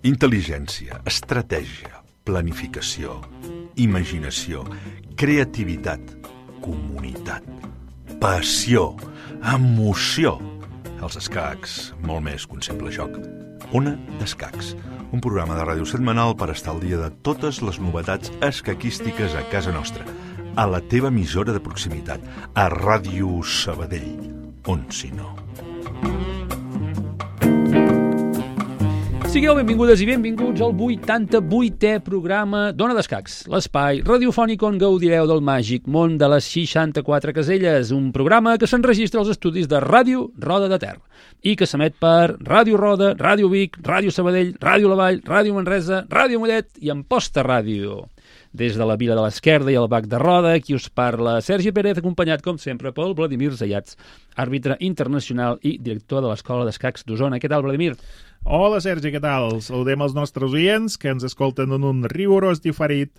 Intel·ligència, estratègia, planificació, imaginació, creativitat, comunitat, passió, emoció. Els escacs, molt més que un simple joc. Ona d'Escacs, un programa de ràdio setmanal per estar al dia de totes les novetats escaquístiques a casa nostra, a la teva emissora de proximitat, a Ràdio Sabadell, on si no. Sigueu benvingudes i benvinguts al 88è programa d'Ona d'Escacs, l'espai radiofònic on gaudireu del màgic món de les 64 caselles, un programa que s'enregistra als estudis de Ràdio Roda de Ter i que s'emet per Ràdio Roda, Ràdio Vic, Ràdio Sabadell, Ràdio La Vall, Ràdio Manresa, Ràdio Mollet i Amposta Ràdio. Des de la Vila de l'Esquerda i el Bac de Roda, qui us parla Sergi Pérez, acompanyat, com sempre, pel Vladimir Zayats, àrbitre internacional i director de l'Escola d'Escacs d'Osona. Què tal, Vladimir? Hola, Sergi, què tal? Saludem els nostres oients que ens escolten en un rigorós diferit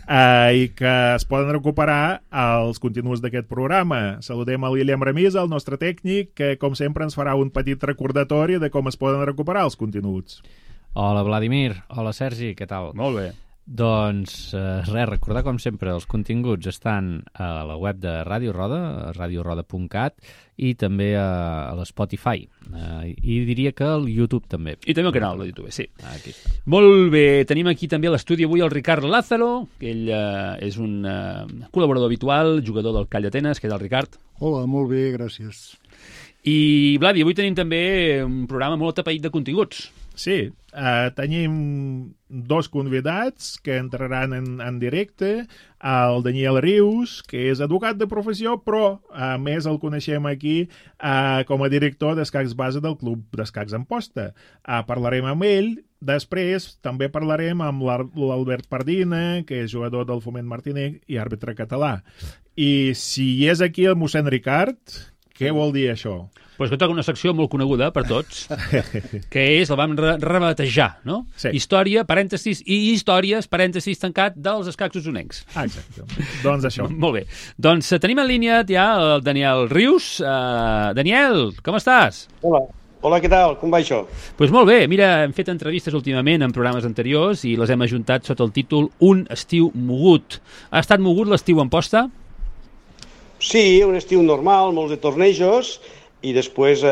i que es poden recuperar als continguts d'aquest programa. Saludem a l'Iliam Ramís, el nostre tècnic, que, com sempre, ens farà un petit recordatori de com es poden recuperar els continguts. Hola, Vladimir. Hola, Sergi, què tal? Molt bé. Doncs res, recordar com sempre els continguts estan a la web de Ràdio Roda, radioroda.cat, i també a l'Spotify. I diria que al YouTube també. I també al canal de YouTube, sí. Aquí està. Molt bé, tenim aquí també a l'estudi avui el Ricard Lázaro, que ell és un col·laborador habitual, jugador del Call d'Atenes. Què tal, Ricard? Hola, molt bé, gràcies. I, Vladi, avui tenim també un programa molt atapeït de continguts. Sí, tenim dos convidats que entraran en directe, el Daniel Rius, que és advocat de professió, però a més el coneixem aquí com a director d'escacs base del Club d'Escacs Amposta. Parlarem amb ell, després també parlarem amb l'Albert Pardina, que és jugador del Foment Martinenc i àrbitre català. I si és aquí el mossèn Ricard, què vol dir això? Pues que toca una secció molt coneguda per tots, que és, la vam rebatejar, no? Sí. Història, parèntesis, i històries, parèntesis, tancat, dels escacs osonencs. Exacte. Doncs això. Molt bé. Doncs tenim en línia ja el Daniel Rius. Daniel, com estàs? Hola. Hola, què tal? Com va això? Pues molt bé. Mira, hem fet entrevistes últimament en programes anteriors i les hem ajuntat sota el títol Un estiu mogut. Ha estat mogut l'estiu a Amposta? Sí, un estiu normal, molts de tornejos, i després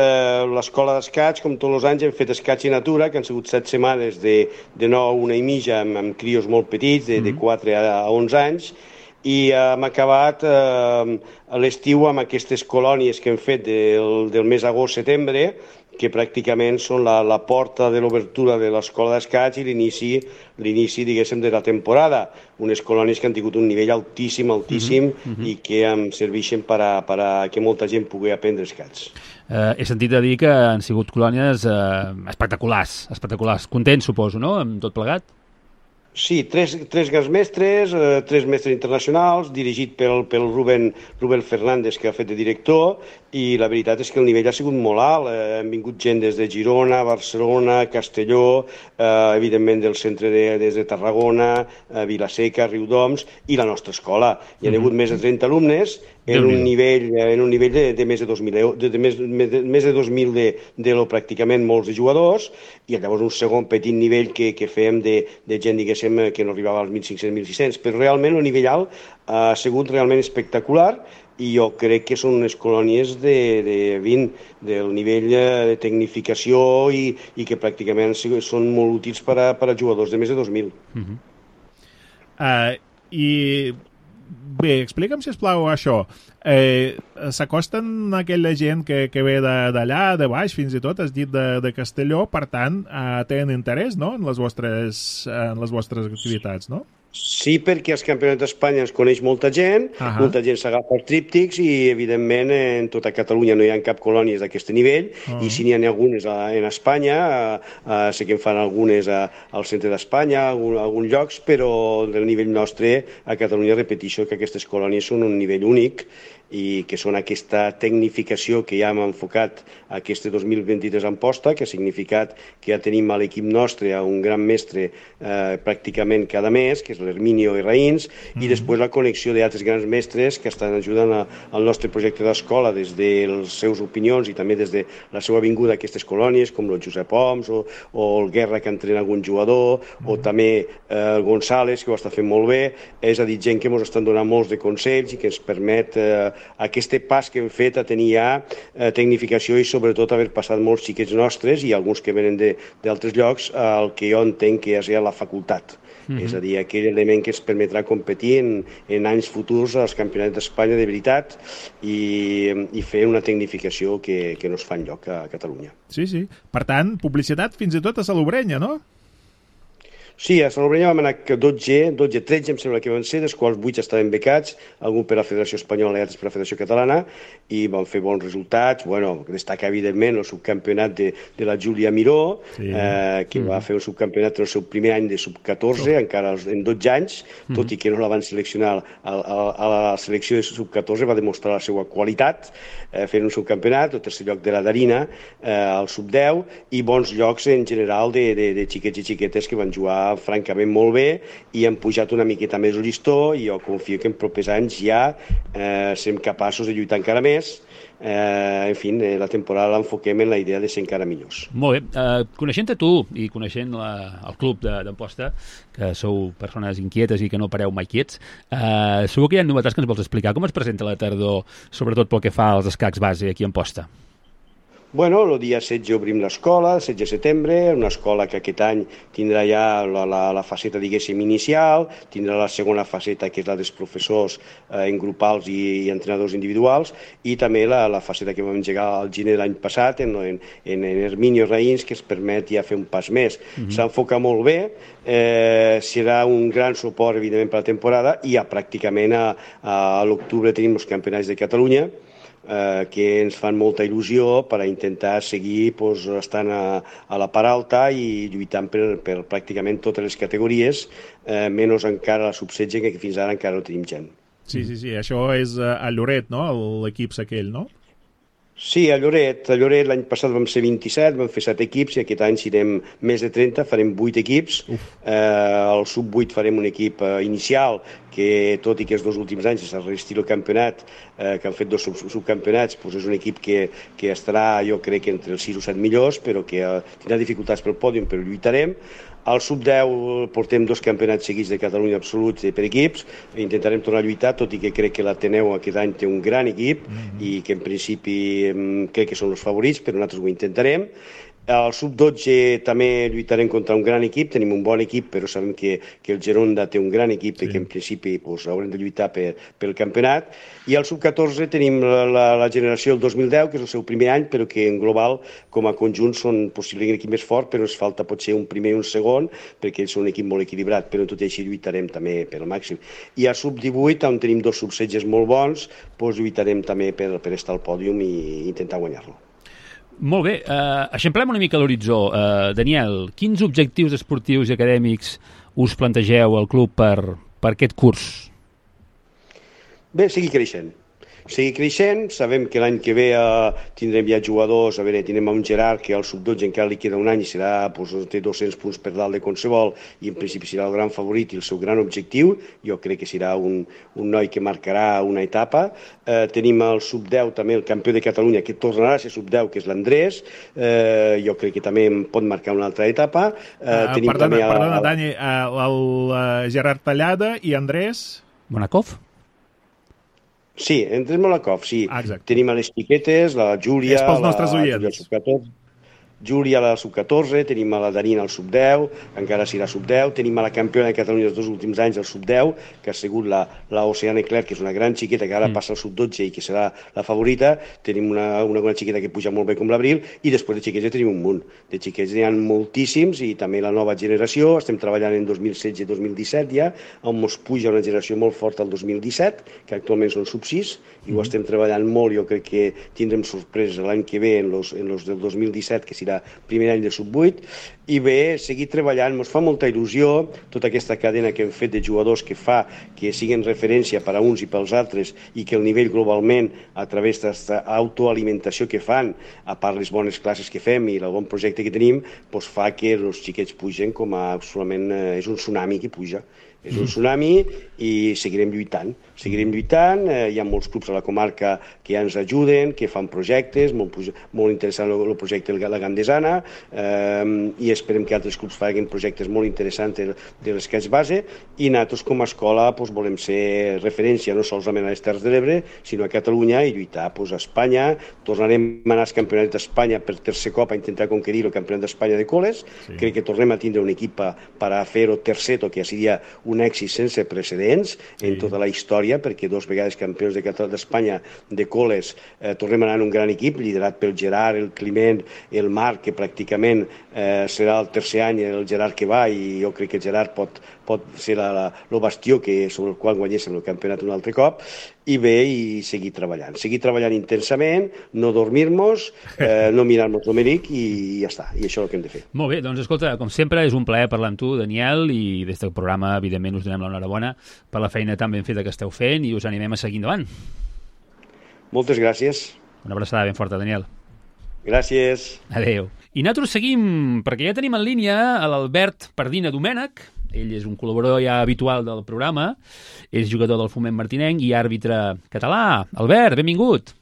l'escola d'escaig, com tots els anys, hem fet escaig i natura, que han sigut 7 setmanes de 9 a 1 i mitja, amb crios molt petits, de 4 a 11 anys, i hem acabat l'estiu amb aquestes colònies que hem fet del mes agost-setembre, que pràcticament són la porta de l'obertura de l'escola d'escaig i l'inici, diguéssim, de la temporada. Unes colònies que han tingut un nivell altíssim, i que em serveixen per a que molta gent pugui aprendre escaig. He sentit a dir que han sigut colònies espectaculars. Contents, suposo, no?, amb tot plegat? Sí, tres grans mestres, 3 mestres internacionals, dirigit pel Rubén Fernández, que ha fet de director, i la veritat és que el nivell ha sigut molt alt. Han vingut gent des de Girona, Barcelona, Castelló, evidentment del centre des de Tarragona, Vilaseca, Riudoms, i la nostra escola. Hi ha hagut més de 30 alumnes en un nivell de més de 2.000 d'elo, pràcticament molts de jugadors, i llavors un segon petit nivell que fèiem de gent, diguéssim, que no arribava als 1.500-1.600, però realment el nivell alt ha sigut realment espectacular, i jo crec que són unes colònies del nivell de tecnificació i que pràcticament són molt útils per a jugadors de més de 2.000. I bé, explica'm, sisplau, això. S'acosten aquella gent que ve d'allà, de baix, fins i tot, has dit de Castelló, per tant, tenen interès, no?, en les vostres activitats, no? Sí, perquè als campionats d'Espanya ens coneix molta gent, molta gent s'agafa els tríptics i, evidentment, en tota Catalunya no hi ha cap colònies d'aquest nivell, i si n'hi ha algunes en Espanya, sé que en fan algunes al centre d'Espanya, alguns llocs, però del nivell nostre a Catalunya repeteixo que aquestes colònies són un nivell únic i que són aquesta tecnificació que ja hem enfocat aquest 2023 a Amposta, que ha significat que ja tenim a l'equip nostre un gran mestre pràcticament cada mes, que és és l'Herminio i Raïns, i després la connexió d'altres grans mestres que estan ajudant al nostre projecte d'escola des de les seves opinions i també des de la seva vinguda a aquestes colònies, com el Josep Oms o el Guerra, que entrena algun jugador, o també el González, que ho està fent molt bé. És a dir, gent que ens estan donant molts de consells i que ens permet aquest pas que hem fet a tenir ja tecnificació i sobretot haver passat molts xiquets nostres i alguns que venen d'altres llocs al que jo entenc que és ja la facultat. És a dir, aquell element que ens permetrà competir en anys futurs als campionats d'Espanya de veritat i fer una tecnificació que no es fa enlloc a Catalunya. Sí. Per tant, publicitat fins i tot a Salobrenya, no? Sí, a Salobrenya vam anar 13 em sembla que van ser, dels quals 8 estaven becats, algun per la Federació Espanyola i altres per la Federació Catalana, i vam fer bons resultats. Destaca evidentment el subcampionat de la Júlia Miró, que va fer un subcampionat en el seu primer any de sub-14, encara en 12 anys, tot i que no la van seleccionar a la selecció de sub-14, va demostrar la seva qualitat fent un subcampionat, el tercer lloc de la Darina, al sub-10, i bons llocs en general de xiquets i xiquetes que van jugar francament molt bé i han pujat una miqueta més el llistó, i jo confio que en propers anys ja serem capaços de lluitar encara més. En fi, la temporada l'enfoquem en la idea de ser encara millors. Molt bé. Coneixent-te tu i coneixent el club d'Amposta, que sou persones inquietes i que no pareu mai quiets, segur que hi ha novetats que ens vols explicar. Com es presenta la tardor, sobretot pel que fa als escacs base aquí a Amposta? Bueno, el dia 16 obrim l'escola, el 16 de setembre, una escola que aquest any tindrà ja la faceta, diguéssim, inicial, tindrà la segona faceta, que és la dels professors en grupals i entrenadors individuals, i també la faceta que vam engegar al gener de l'any passat en Herminio Raïns, que es permet ja fer un pas més. S'enfoca molt bé, serà un gran suport, evidentment, per la temporada, i ja pràcticament a l'octubre tenim els campionats de Catalunya, que ens fan molta il·lusió per a intentar seguir estant a la part alta i lluitant per pràcticament totes les categories, menys encara la sub-16, que fins ara encara no tenim gent. Sí, això és a Lloret, no? L'equip aquell, no? Sí, a Lloret l'any passat vam ser 27, vam fer 7 equips, i aquest any serem més de 30, farem 8 equips. Al sub-8 farem un equip inicial, que tot i que els 2 últims anys s'ha resistit el campionat, que han fet 2 subcampionats, és un equip que estarà, jo crec, entre els 6 o 7 millors, però que tindrà dificultats pel pòdium, però lluitarem. Al sub-10 portem 2 campionats seguits de Catalunya absoluts per equips, intentarem tornar a lluitar, tot i que crec que l'Ateneu aquest any té un gran equip i que en principi crec que són els favorits, però nosaltres ho intentarem. Al sub-12 també lluitarem contra un gran equip, tenim un bon equip, però sabem que el Geronda té un gran equip i que en principi haurem de lluitar pel campionat. I al sub-14 tenim la generació del 2010, que és el seu primer any, però que en global, com a conjunt, són possiblement un equip més fort, però ens falta potser un primer i un segon, perquè ells són un equip molt equilibrat, però tot i així lluitarem també per al màxim. I al sub-18, on tenim 2 sub-16 molt bons, lluitarem també per estar al pòdium i intentar guanyar-lo. Molt bé, eixamplem una mica l'horitzó. Daniel, quins objectius esportius i acadèmics us plantegeu al club per aquest curs? Bé, seguir creixent. Sabem que l'any que ve tindrem ja jugadors, tindrem un Gerard que al sub-12 encara li queda un any i té 200 punts per dalt de qualsevol, i en principi serà el gran favorit i el seu gran objectiu. Jo crec que serà un noi que marcarà una etapa. Tenim el sub-10 també, el campió de Catalunya, que tornarà a ser sub-10, que és l'Andrés. Jo crec que també pot marcar una altra etapa. Perdona, Dani, el Gerard Tallada i Andrés Monakov? Sí, Andrés Monakov, sí. Exacte. Tenim a les xiquetes, la Júlia... És pels nostres oients. Júlia a la sub-14, tenim a la Darina al sub-10, encara serà sub-10, tenim a la campiona de Catalunya els 2 últims anys al sub-10, que ha sigut la Oceana Clerc, que és una gran xiqueta que ara passa al sub-12 i que serà la favorita. Tenim una xiqueta que puja molt bé com l'Abril, i després de xiquets ja tenim un munt. De xiquets n'hi ha moltíssims, i també la nova generació. Estem treballant en 2016 i 2017 ja, on ens puja una generació molt forta al 2017, que actualment són sub-6, i ho estem treballant molt. Jo crec que tindrem sorpreses l'any que ve en los del 2017, que serà primer any de sub-8, i bé, seguir treballant. Ens fa molta il·lusió tota aquesta cadena que hem fet de jugadors que fa que siguin referència per a uns i pels altres, i que el nivell globalment, a través d'aquesta autoalimentació que fan, a part les bones classes que fem i el bon projecte que tenim, fa que els xiquets pugen com a absolutament... és un tsunami que puja. És un tsunami i seguirem lluitant. Hi ha molts clubs a la comarca que ja ens ajuden, que fan projectes, molt interessant el projecte de la Gandesana, i esperem que altres clubs facin projectes molt interessants de l'esquetx base, i nosaltres com a escola volem ser referència no solament a les Terres de l'Ebre, sinó a Catalunya i lluitar a Espanya. Tornarem a anar als campionats d'Espanya per tercer cop a intentar conquerir el campionat d'Espanya de col·les. Crec que tornem a tindre un equip per a fer-ho tercer, que ja seria un èxit sense precedents en tota la història, perquè 2 vegades campions d'Espanya de col·les, tornem a anar en un gran equip, liderat pel Gerard, el Climent, el Marc, que pràcticament serà el tercer any el Gerard que va, i jo crec que el Gerard pot ser el bastió sobre el qual guanyéssim el campionat un altre cop, i seguir treballant intensament, no dormir-nos, no mirar-nos l'Omeric, i ja està, i això és el que hem de fer. Molt bé, doncs escolta, com sempre és un plaer parlar amb tu, Daniel, i des del programa evidentment us donem l'enhorabona per la feina tan ben feta que esteu fent i us animem a seguir endavant. Moltes gràcies. Una abraçada ben forta, Daniel. Gràcies. Adéu. I nosaltres seguim, perquè ja tenim en línia l'Albert Pardina Domènech. Ell és un col·laborador ja habitual del programa, és jugador del Foment Martinenc i àrbitre català. Albert, benvingut.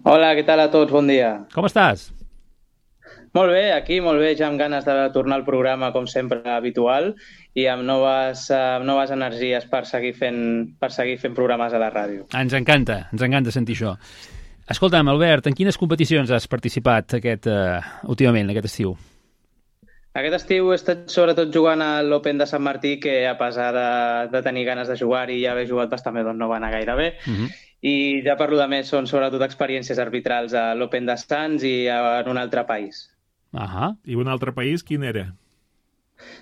Hola, què tal a tots? Bon dia. Com estàs? Molt bé, aquí, molt bé, ja amb ganes de tornar al programa, com sempre, habitual, i amb noves energies per seguir fent programes a la ràdio. Ens encanta sentir això. Escolta'm, Albert, en quines competicions has participat últimament, aquest estiu? Aquest estiu he estat sobretot jugant a l'Open de Sant Martí, que a pesar de tenir ganes de jugar i ja haver jugat bastant bé, doncs no va anar gaire bé. I ja per lo de més són sobretot experiències arbitrals a l'Open de Sants i en un altre país. I un altre país, quin era?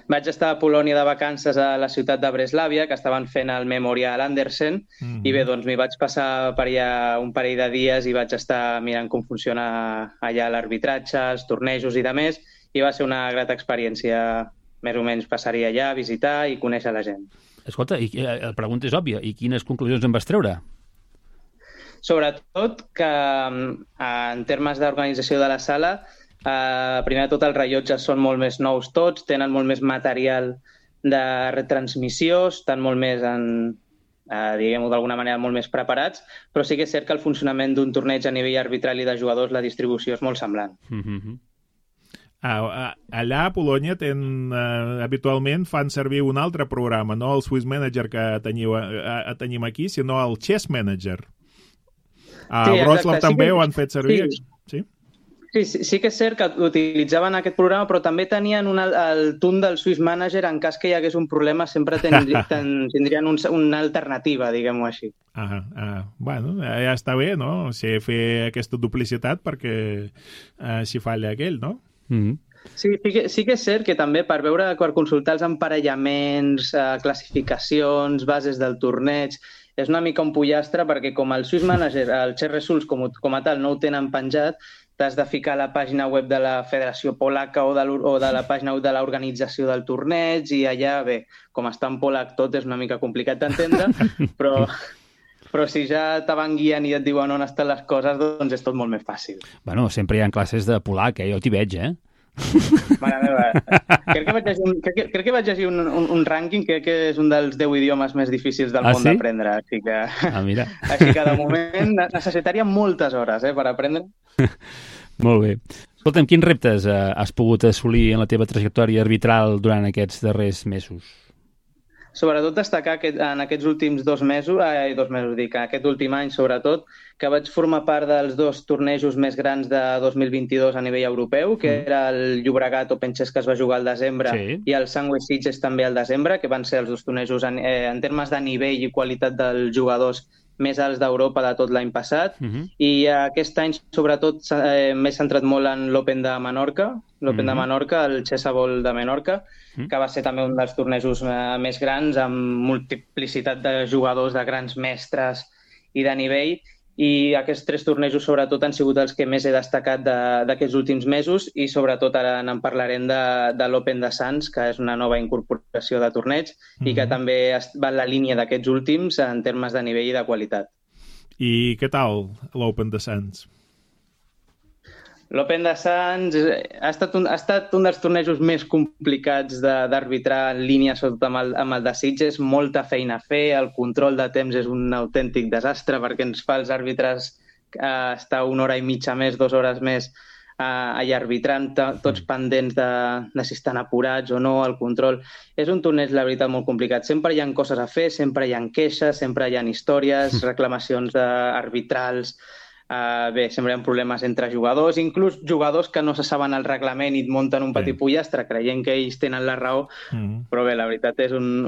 Vaig estar a Polònia de vacances a la ciutat de Breslàvia, que estaven fent el Memorial Andersen, i bé, doncs m'hi vaig passar per allà un parell de dies i vaig estar mirant com funciona allà l'arbitratge, els tornejos i de més, i va ser una grata experiència. Més o menys passaria allà a visitar i conèixer la gent. Escolta, la pregunta és òbvia, i quines conclusions en vas treure? Sobretot que en termes d'organització de la sala, primer de tot els rellotges són molt més nous tots, tenen molt més material de retransmissió, estan molt més, diguem-ho d'alguna manera, molt més preparats, però sí que és cert que el funcionament d'un torneig a nivell arbitral i de jugadors, la distribució és molt semblant. Allà a Polònia habitualment fan servir un altre programa, no el Swiss Manager que tenim aquí, sinó el Chess Manager. A Wrocław també ho han fet servir? Sí que és cert que utilitzaven aquest programa, però també tenien el TUN del Swiss Manager, en cas que hi hagués un problema sempre tindrien una alternativa, diguem-ho així. Bueno, ja està bé, no? Fer aquesta duplicitat perquè si falla aquell, no? Sí que és cert que també per consultar els emparellaments, classificacions, bases del torneig, és una mica un pollastre perquè com el Swiss Manager, el Chess Results com a tal no ho tenen penjat, t'has de ficar a la pàgina web de la Federació Polaca o de la pàgina web de l'organització del torneig i allà, bé, com està en polac tot és una mica complicat d'entendre, però si ja te van guiant i et diuen on estan les coses, doncs és tot molt més fàcil. Bueno, sempre hi ha classes de polac, jo t'hi veig, Mare meva, crec que vaig llegir un rànquing, crec que és un dels 10 idiomes més difícils del món d'aprendre, així que de moment necessitaria moltes hores per aprendre. Molt bé. Escolta'm, quins reptes has pogut assolir en la teva trajectòria arbitral durant aquests darrers mesos? Sobretot destacar en aquests últims aquest últim any sobretot, que vaig formar part dels 2 tornejos més grans de 2022 a nivell europeu, que era el Llobregat Open Chess que es va jugar al desembre i el Sandwich Sitges també al desembre, que van ser els 2 tornejos en termes de nivell i qualitat dels jugadors més alts d'Europa de tot l'any passat, i aquest any sobretot m'he centrat molt en l'Open de Menorca, el Chessable de Menorca, que va ser també un dels tornejos més grans, amb multiplicitat de jugadors, de grans mestres i de nivell, i aquests 3 tornejos sobretot han sigut els que més he destacat d'aquests últims mesos, i sobretot ara en parlarem de l'Open de Sants, que és una nova incorporació de torneig i que també va en la línia d'aquests últims en termes de nivell i de qualitat. I què tal l'Open de Sants? L'Open de Sants ha estat un dels tornejos més complicats d'arbitrar en línia, sobretot amb el de Sitges. Molta feina a fer, el control de temps és un autèntic desastre perquè ens fa els àrbitres estar 1 hora i mitja més, 2 hores més allà arbitrant, tots pendents de si estan apurats o no, el control. És un torneig, la veritat, molt complicat. Sempre hi ha coses a fer, sempre hi ha queixes, sempre hi ha històries, reclamacions arbitrals. Bé, sempre hi ha problemes entre jugadors, inclús jugadors que no se saben el reglament i et munten un petit pollastre creient que ells tenen la raó, però bé, la veritat és un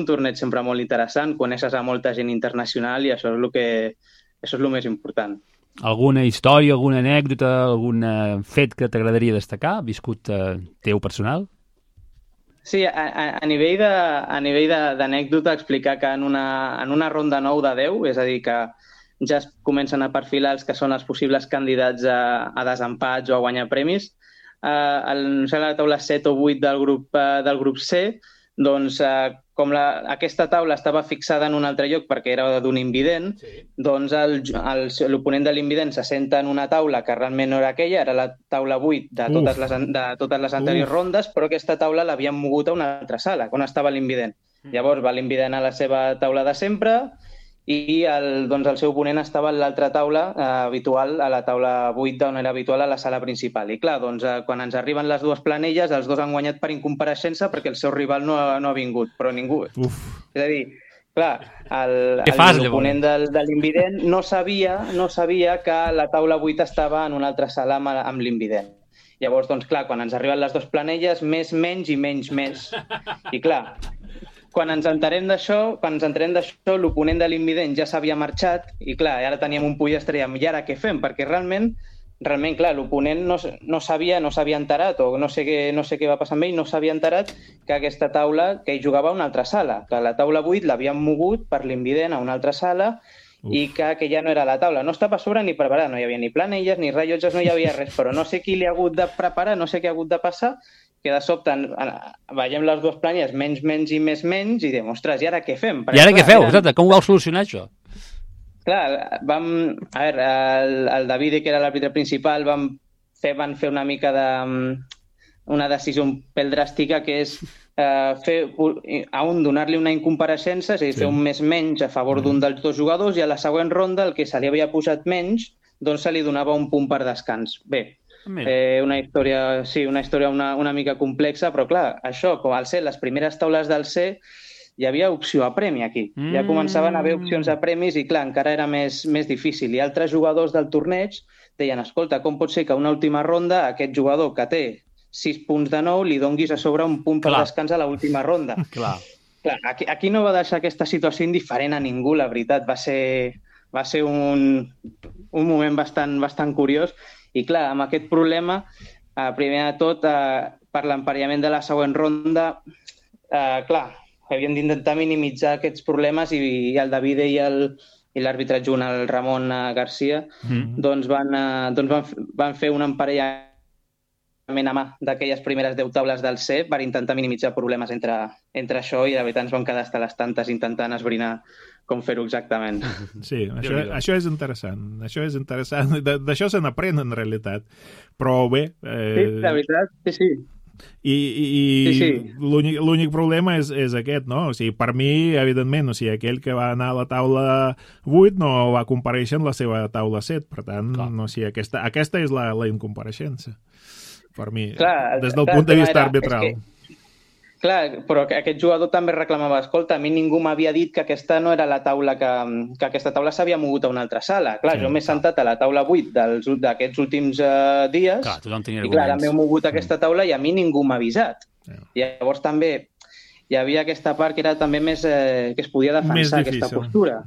torneig sempre molt interessant, coneixes a molta gent internacional i això és el més important. Alguna història, alguna anècdota, algun fet que t'agradaria destacar, viscut teu personal? Sí, a nivell d'anècdota, explicar que en una ronda 9 de 10, és a dir, que ja es comencen a perfilar els que són els possibles candidats a desempats o a guanyar premis. A la taula 7 o 8 del grup C, doncs, com aquesta taula estava fixada en un altre lloc perquè era d'un invident, doncs l'oponent de l'invident se senta en una taula que realment no era aquella, era la taula 8 de totes les anteriors rondes, però aquesta taula l'havien mogut a una altra sala, on estava l'invident. Llavors va l'invident a la seva taula de sempre, i el seu oponent estava a l'altra taula habitual, a la taula 8 on era habitual a la sala principal. I clar, quan ens arriben les dues planelles, els dos han guanyat per incompareixença perquè el seu rival no ha vingut, però ningú. És a dir, clar, l'oponent de l'invident no sabia que la taula 8 estava en una altra sala amb l'invident. Llavors, doncs clar, quan ens arriben les dues planelles, més, menys i menys, més. I clar, quan ens enterem d'això, l'oponent de l'invident ja s'havia marxat i, clar, ara teníem un pollastre i ara què fem? Perquè realment, clar, l'oponent no s'havia enterat, o no sé què va passar amb ell, no s'havia enterat que aquesta taula, que ell jugava a una altra sala, que la taula 8 l'havien mogut per l'invident a una altra sala i que ja no era la taula. No estava a sobre ni preparat, no hi havia ni planelles, ni rellotges, no hi havia res, però no sé qui li ha hagut de preparar, no sé què ha hagut de passar, que de sobte veiem les dues planelles, menys, menys i més, menys, i diem, ostres, i ara què fem? I ara què feu? Exacte, com ho vau solucionar, això? Clar, el Davide, que era l'àrbitre principal, van fer una mica una decisió un pèl dràstica, que és donar-li una incompareixença, és a dir, fer un més menys a favor d'un dels dos jugadors, i a la següent ronda, el que se li havia posat menys, doncs se li donava un punt per descans. Bé, una història una mica complexa, però clar, això, com al ser les primeres taules del C, hi havia opció a premi aquí. Ja començaven a haver opcions a premis i, clar, encara era més difícil. I altres jugadors del torneig deien, escolta, com pot ser que a una última ronda aquest jugador que té 6 punts de 9 li donguis a sobre un punt per descans a l'última ronda? Clar, aquí no va deixar aquesta situació indiferent a ningú, la veritat. Va ser un moment bastant curiós. I, clar, amb aquest problema, primer de tot, per l'emparellament de la següent ronda, clar, havíem d'intentar minimitzar aquests problemes i el Davide i l'àrbitre adjunt, el Ramon Garcia, doncs van fer un emparellament a mà d'aquelles primeres 10 taules del C per intentar minimitzar problemes entre això, i de veritat ens vam quedar hasta les tantes intentant esbrinar com fer-ho exactament. Sí, això és interessant. D'això se n'aprèn, en realitat. Però bé... Sí, la veritat, sí. I l'únic problema és aquest, no? O sigui, per mi, evidentment, o sigui, aquell que va anar a la taula 8 no va comparèixer en la seva taula 7, per tant, no, o sigui, aquesta és la incompareixença, per mi, des del punt de vista arbitral. Clar, però aquest jugador també reclamava, escolta, a mi ningú m'havia dit que aquesta no era la taula, que aquesta taula s'havia mogut a una altra sala. Clar, jo m'he sentat a la taula 8 d'aquests últims dies, i clar, m'he mogut a aquesta taula i a mi ningú m'ha avisat. Llavors també hi havia aquesta part que era també més que es podia defensar aquesta postura.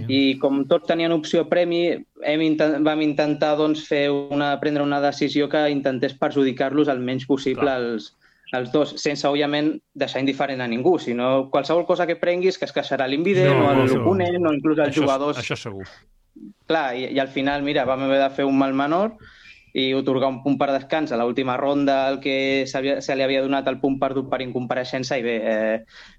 I com tots tenien opció a premi, vam intentar prendre una decisió que intentés perjudicar-los el menys possible els dos, sense, òbviament, deixar indiferent a ningú, sinó qualsevol cosa que prenguis que es queixarà l'invident o l'oponent o inclús els jugadors. Això segur. Clar, i al final, mira, vam haver de fer un mal menor i otorgar un punt per descans a l'última ronda el que se li havia donat el punt perdut per incompareixença i bé,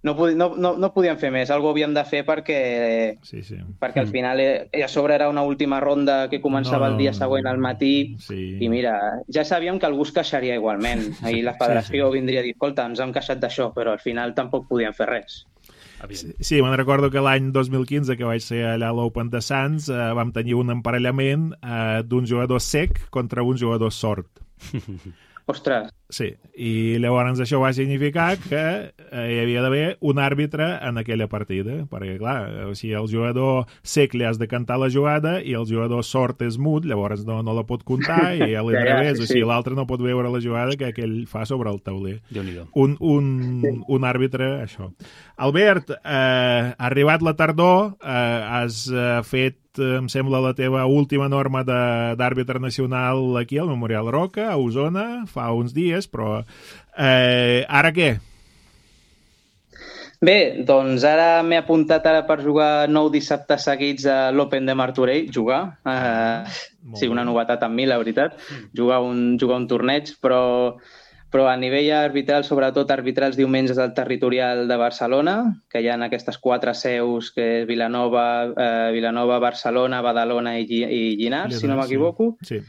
no podíem fer més, algo havíem de fer perquè al final a sobre era una última ronda que començava el dia següent al matí i mira, ja sabíem que algú es queixaria igualment i la federació vindria a dir, escolta, ens hem queixat d'això, però al final tampoc podíem fer res. Sí, me'n recordo que l'any 2015, que vaig ser allà a l'Open de Sants, vam tenir un emparellament d'un jugador sec contra un jugador sord. Ostres! Sí, i llavors això va significar que hi havia d'haver un àrbitre en aquella partida, perquè, clar, si el jugador sec li has de cantar la jugada i el jugador sord és mut, llavors no la pot comptar i a l'inrevés, o sigui, l'altre no pot veure la jugada que ell fa sobre el tauler. Un àrbitre, això. Albert, ha arribat la tardor, has fet, em sembla, la teva última norma d'àrbitre nacional aquí al Memorial Roca, a Osona, fa uns dies, però ara què? Bé, doncs ara m'he apuntat per jugar 9 dissabtes seguits a l'Open de Martorell, sí, una novetat amb mi, la veritat, jugar un torneig, però a nivell arbitral, sobretot arbitrar els diumenges al territorial de Barcelona, que hi ha aquestes 4 seus, que és Vilanova, Barcelona, Badalona i Llinars, si no m'equivoco. Sí.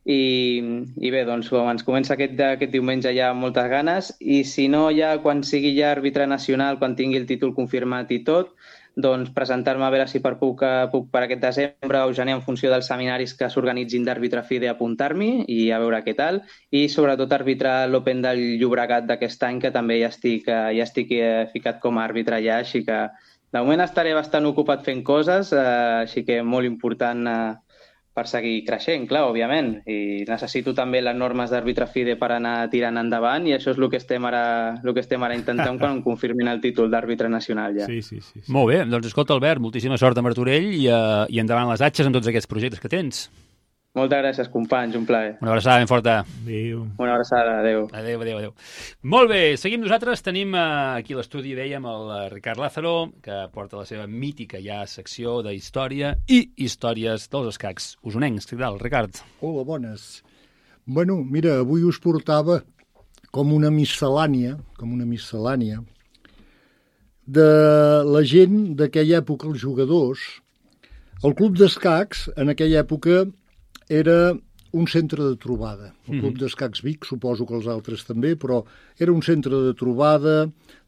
I bé, doncs ens comença aquest diumenge ja amb moltes ganes i si no, ja quan sigui ja àrbitre nacional, quan tingui el títol confirmat i tot, doncs presentar-me a veure si puc per aquest desembre o gener en funció dels seminaris que s'organitzin d'àrbitre FIDE apuntar-m'hi i a veure què tal. I sobretot arbitrar l'Open del Llobregat d'aquest any, que també ja estic ficat com a àrbitre ja, així que de moment estaré bastant ocupat fent coses, així que molt important per seguir creixent, clar, òbviament. I necessito també les normes d'àrbitre FIDE per anar tirant endavant i això és el que estem ara intentant quan em confirmin el títol d'àrbitre nacional ja. Sí. Molt bé, doncs escolta, Albert, moltíssima sort a Martorell i endavant les atxes en tots aquests projectes que tens. Moltes gràcies, companys, un plaer. Una abraçada ben forta. Adéu. Una abraçada, adéu. Adéu. Molt bé, seguim nosaltres. Tenim aquí a l'estudi, dèiem, el Ricard Lázaro, que porta la seva mítica ja secció d'història i històries dels escacs usonencs. Què tal, Ricard? Hola, bones. Bueno, mira, avui us portava com una miscel·lània de la gent d'aquella època, els jugadors. El club d'escacs, en aquella època, era un centre de trobada. El Club d'Escacs Vic, suposo que els altres també, però era un centre de trobada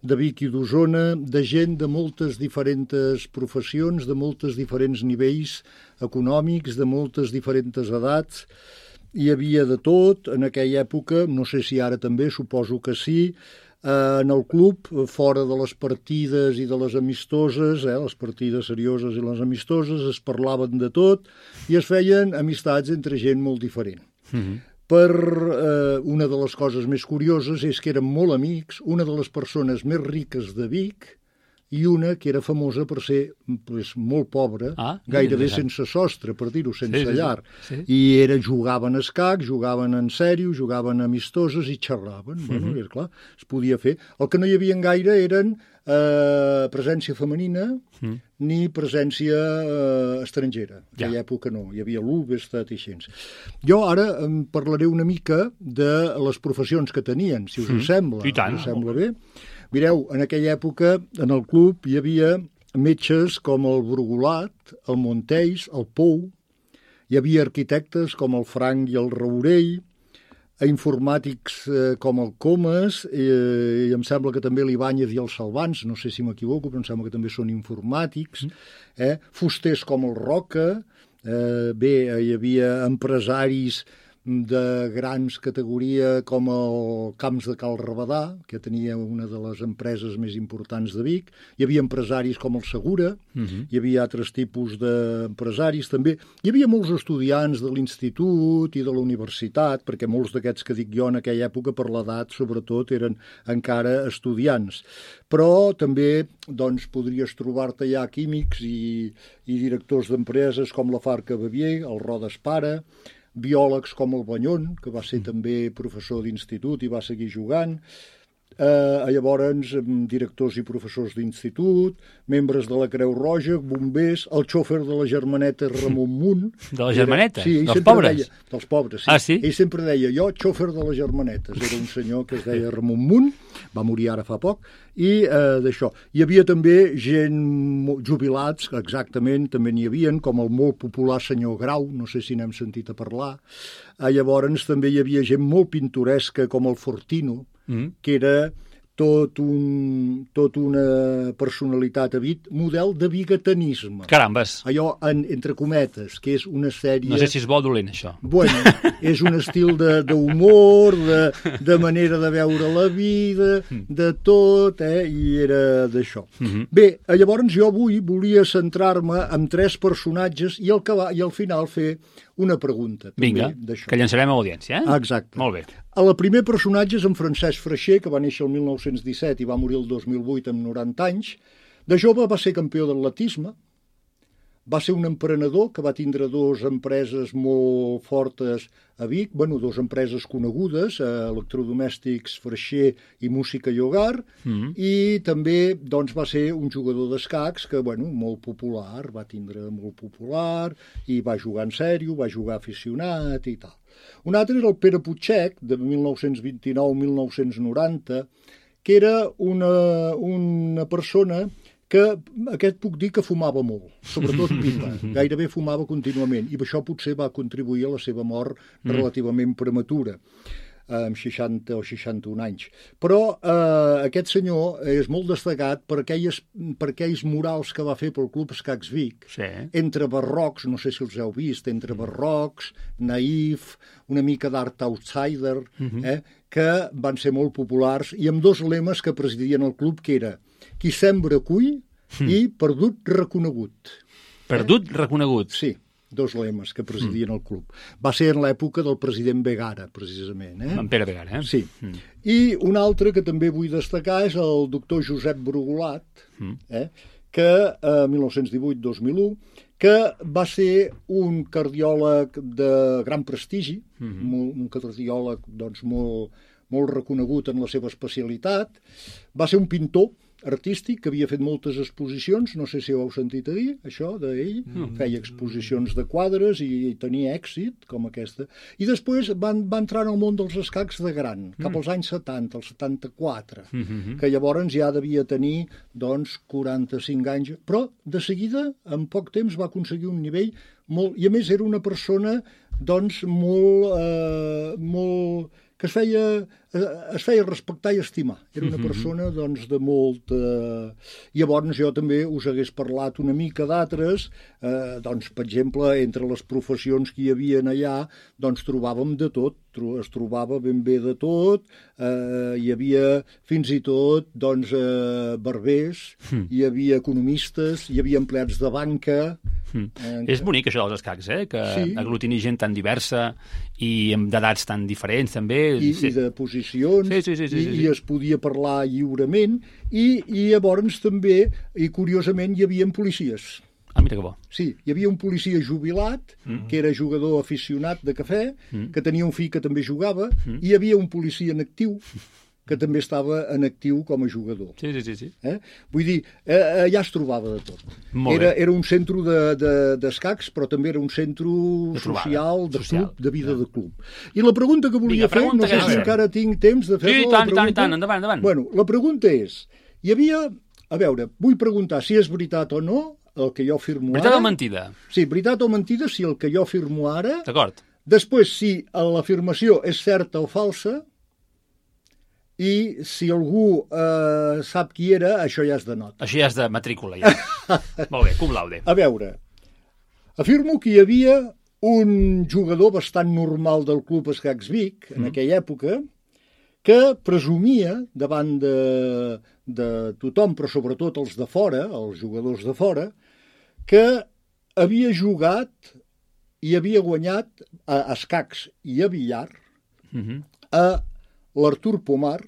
de Vic i d'Osona, de gent de moltes diferents professions, de moltes diferents nivells econòmics, de moltes diferents edats. Hi havia de tot en aquella època, no sé si ara també, suposo que sí. En el club, fora de les partides i de les amistoses, les partides serioses i les amistoses, es parlaven de tot i es feien amistats entre gent molt diferent. Una de les coses més curioses és que eren molt amics, una de les persones més riques de Vic i una que era famosa per ser molt pobra, gairebé sense sostre, per dir-ho, sense llar. I jugaven a escac, jugaven en sèrio, jugaven amistoses i xerraven. Bueno, és clar, es podia fer. El que no hi havia gaire eren presència femenina ni presència estrangera. En aquella època no, hi havia l'Ubestat i així. Jo ara em parlaré una mica de les professions que tenien, si us sembla. I tant. Us sembla bé? Mireu, en aquella època, en el club, hi havia metges com el Brugulat, el Montells, el Pou, hi havia arquitectes com el Frank i el Raurell, informàtics com el Comas, i em sembla que també l'Ibáñez i els Salvans, no sé si m'equivoco, però em sembla que també són informàtics, fusters com el Roca, bé, hi havia empresaris de grans categoria com el Camps de Cal Rabadà, que tenia una de les empreses més importants de Vic. Hi havia empresaris com el Segura, hi havia altres tipus d'empresaris també. Hi havia molts estudiants de l'institut i de la universitat, perquè molts d'aquests que dic jo en aquella època, per l'edat, sobretot, eren encara estudiants. Però també doncs, podries trobar-te ja químics i directors d'empreses com la Farca Bavier, el Rodes Pare, biòlegs com el Banyón, que va ser també professor d'institut i va seguir jugant, Llavors directors i professors d'institut, membres de la Creu Roja, bombers, el xòfer de la Germaneta Ramon Munt. De la Germaneta? Sí, dels pobres? Deia, dels pobres, sí. Ah, sí? Ell sempre deia, jo, xòfer de les Germanetes. Era un senyor que es deia Ramon Munt, va morir ara fa poc, i d'això. Hi havia també gent jubilats, exactament, també n'hi havia, com el molt popular senyor Grau, no sé si n'hem sentit a parlar. Llavors també hi havia gent molt pintoresca, com el Fortino, que era tot una personalitat model de bigatanisme. Carambes. Allò, entre cometes, que és una sèrie... No sé si és bo o dolent, això. Bueno, és un estil d'humor, de manera de veure la vida, de tot, i era d'això. Bé, llavors jo avui volia centrar-me en 3 personatges i al final fer una pregunta. Vinga, que llançarem a l'audiència, Exacte. Molt bé. El primer personatge és en Francesc Freixer, que va néixer el 1917 i va morir el 2008 amb 90 anys. De jove va ser campió d'atletisme, va ser un emprenedor que va tindre 2 empreses molt fortes a Vic, 2 empreses conegudes, electrodomèstics Freixer i Música i Hogar, i també va ser un jugador d'escacs que, molt popular, va tindre molt popular, i va jugar en sèrio, va jugar aficionat i tal. Un altre era el Pere Puigcec, de 1929-1990, que era una persona que aquest puc dir que fumava molt, sobretot pipa, gairebé fumava contínuament, i això potser va contribuir a la seva mort relativament prematura, amb 60 o 61 anys. Però aquest senyor és molt destacat per aquells murals que va fer pel Club Escacs Vic, entre barrocs, no sé si els heu vist, entre barrocs, naïf, una mica d'art outsider, que van ser molt populars, i amb 2 lemes que presidien el club, que era qui sembra cull i perdut reconegut. Perdut reconegut? Sí, 2 lemes que presidien el club. Va ser en l'època del president Vegara, precisament. En Pere Vegara, Sí. I un altre que també vull destacar és el doctor Josep Brugulat, que 1918-2001, que va ser un cardiòleg de gran prestigi, un cardiòleg molt reconegut en la seva especialitat, va ser un pintor artístic que havia fet moltes exposicions, no sé si ho heu sentit a dir, això d'ell, feia exposicions de quadres i tenia èxit, com aquesta, i després va entrar en el món dels escacs de gran, cap als anys 70, el 74, que llavors ja devia tenir, 45 anys, però de seguida, en poc temps, va aconseguir un nivell molt... I a més era una persona, molt que es feia respectar i estimar. Era una persona, de molt... Llavors jo també us hagués parlat una mica d'altres, per exemple, entre les professions que hi havia allà, trobàvem de tot, es trobava ben bé de tot, hi havia fins i tot, barbers, hi havia economistes, hi havia empleats de banca... És bonic això dels escacs, que aglutini gent tan diversa i d'edats tan diferents també. I de posicions, i es podia parlar lliurement, i llavors també, i curiosament, hi havia policies. Ah, mira que bo. Sí, hi havia un policia jubilat, que era jugador aficionat de cafè, que tenia un fill que també jugava, i hi havia un policia en actiu, que també estava en actiu com a jugador. Sí. Vull dir, allà es trobava de tot. Era un centre d'escacs, però també era un centre social, de club, de vida de club. I la pregunta que volia fer, no sé si encara tinc temps de fer-la. Sí, tant, endavant. Bueno, la pregunta és, hi havia... A veure, vull preguntar si és veritat o no el que jo afirmo ara. Veritat o mentida? Sí, veritat o mentida, si el que jo afirmo ara... D'acord. Després, si l'afirmació és certa o falsa, i si algú sap qui era, això ja és de nota. Això ja és de matrícula, ja. Molt bé, cum laude. A veure, afirmo que hi havia un jugador bastant normal del Club Escacs Vic, en aquella època, que presumia davant de tothom, però sobretot els de fora, els jugadors de fora, que havia jugat i havia guanyat a escacs i a billar a l'Artur Pomar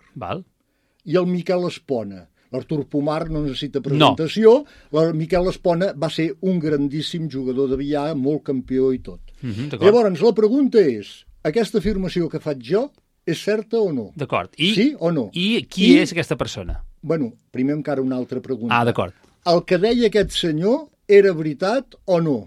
i el Miquel Espona. L'Artur Pomar no necessita presentació. El Miquel Espona va ser un grandíssim jugador de billar, molt campió i tot. Llavors, la pregunta és, aquesta afirmació que faig jo és certa o no? D'acord. Sí o no? I qui és aquesta persona? Bueno, primer encara una altra pregunta. Ah, d'acord. El que deia aquest senyor era veritat o no?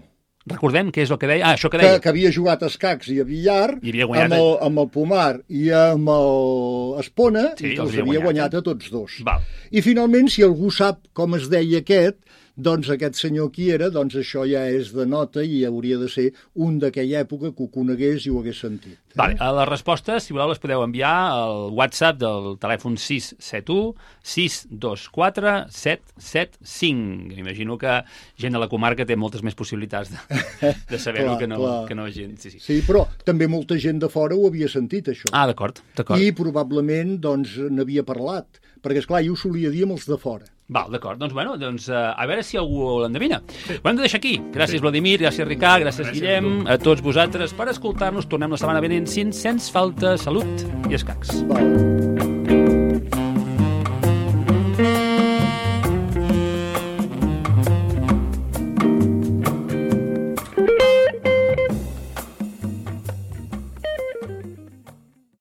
Recordem què és el que deia. Ah, això que deia. Que havia jugat a escacs i a billar I havia guanyat... amb el Pomar i amb el Espona, Sí, i els havia guanyat a tots dos. Val. I finalment, si algú sap com es deia aquest, doncs aquest senyor qui era, doncs això ja és de nota i hauria de ser un d'aquella època que ho conegués i ho hagués sentit. Vale, les respostes, si voleu, les podeu enviar al WhatsApp del telèfon 671 624 775. M'imagino que gent a la comarca té moltes més possibilitats de saber-ho que no gent. Sí. Sí, però també molta gent de fora ho havia sentit, això. Ah, d'acord. I probablement doncs n'havia parlat, perquè, esclar, jo ho solia dir amb els de fora. Val, d'acord. Doncs, a veure si algú l'endevina. Ho hem de deixar aquí. Gràcies, Vladimir, gràcies, Ricard, gràcies, Guillem, a tots vosaltres per escoltar-nos. Tornem la setmana vinent, sense falta. Salut i escacs. Val.